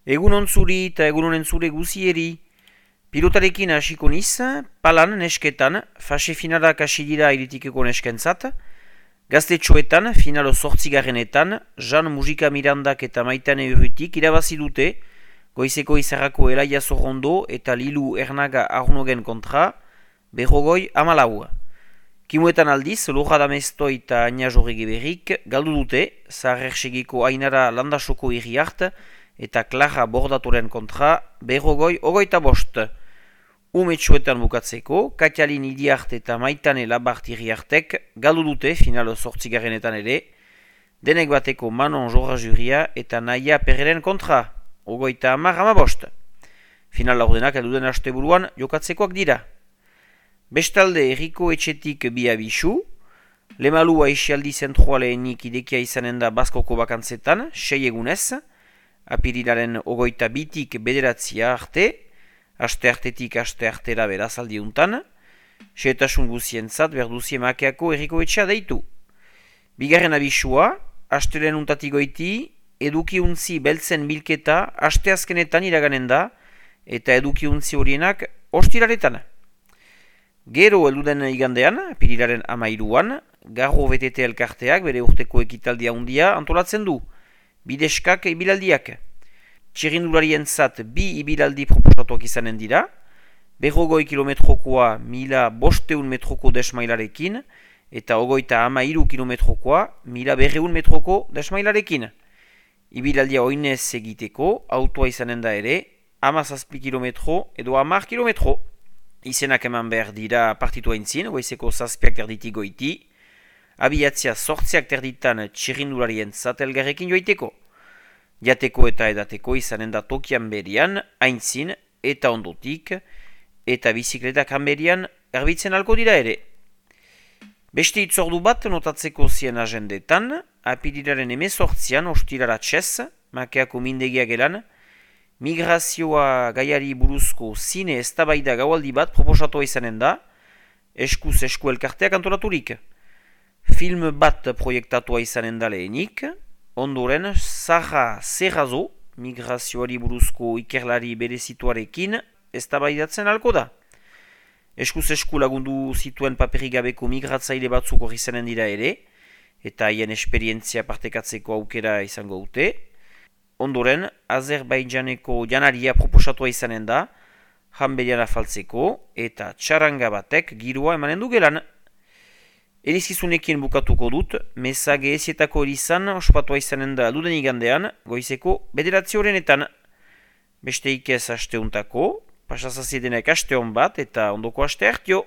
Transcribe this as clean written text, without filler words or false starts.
Egun ontzuri eta egun honen zure guzieri. Pilotarekin hasiko niz, palan nesketan, fase finalak hasi dira iritikeko neskentzat. Gaztetxoetan, finalo 8. Jean Mujika Mirandak eta Maitane Urrutik irabazi dute, goizeko izarrako Elaia Zorrondo eta Lilu Ernaga Arnogen kontra, berrogoi 14. Kimuetan aldiz, Loja Damesto eta Aina Jorrege Berrik galdu dute, Zaharrersegiko Ainara Landasoko Iriart eta Clara Bordatoren kontra, berrogoi 25. Umetxoetan bukatzeko, Katialin Iriart eta Maitane Labart Iriartek galdu dute finalo 8. ere, denek bateko Manon Jorra Juria eta Naia Perreren kontra, 30-15. Final laurdenak elduden asteburuan jokatzekoak dira. Bestalde Erriko Etxetik bi abisu, Lemalua Esialdi zentroaleenik idekia izanen da Baskoko bakantzetan, 6 egunez, apirilaren 22tik 9 arte, aste artetik aste artera beraz aldiuntan, xehetasun guzientzat berduzie makeako Erriko Etxea deitu. Bigarren abisua, astelen untatik goiti, edukiuntzi beltzen bilketa asteazkenetan iraganen da, eta edukiuntzi horienak ostiraretan. Gero elduden igandean, apirilaren 13an, Garro BTT elkarteak bere urteko ekitaldia handia antolatzen du, bideskak ibilaldiak. Txirrindularien zat bi ibilaldi proposatuak izanen dira, 100 kilometrokoa 1500 metroko desmailarekin, eta 33 kilometrokoa 1200 metroko desmailarekin. Ibilaldia oinez egiteko, autoa izanen da ere, 17 kilometro edo 10 kilometro. Izenak eman behar dira partitua intzin, goizeko 7 terditik goiti, abiatzia 8 terditan txirrindularien zat elgarrekin joiteko. Jateko eta edateko izanen da tokian berian, aintzin eta ondotik, eta bizikletak hanberian erbitzen alko dira ere. Beste itzordu bat notatzeko zien agendetan, apirilaren 18an ostirara txez, makeako mindegia gelan, migrazioa gaiari buruzko zine eztabaida gaualdi bat proposatua izanen da, eskuz esku elkarteak antolaturik. Film bat proiektatua izanen da lehenik, ondoren Sara Serrazo, migrazioari buruzko ikerlari berezituarekin eztabaidatzen alko da. Eskuz esku lagundu zituen paperik gabeko migratzaile batzuk hori izanen dira ere, eta haien esperientzia partekatzeko aukera izango dute. Ondoren, Azerbaidjaneko janaria proposatua izanen da, janberian afaltzeko eta txaranga batek giroa emanen du gelan. Erizkizunekin bukatuko dut, mezage ezietako erizan ospatua izanen da duden igandean, goizeko 9 horrenetan. Beste ikez asteuntako, pasazaziedenek aste hon bat eta ondoko aste hartio.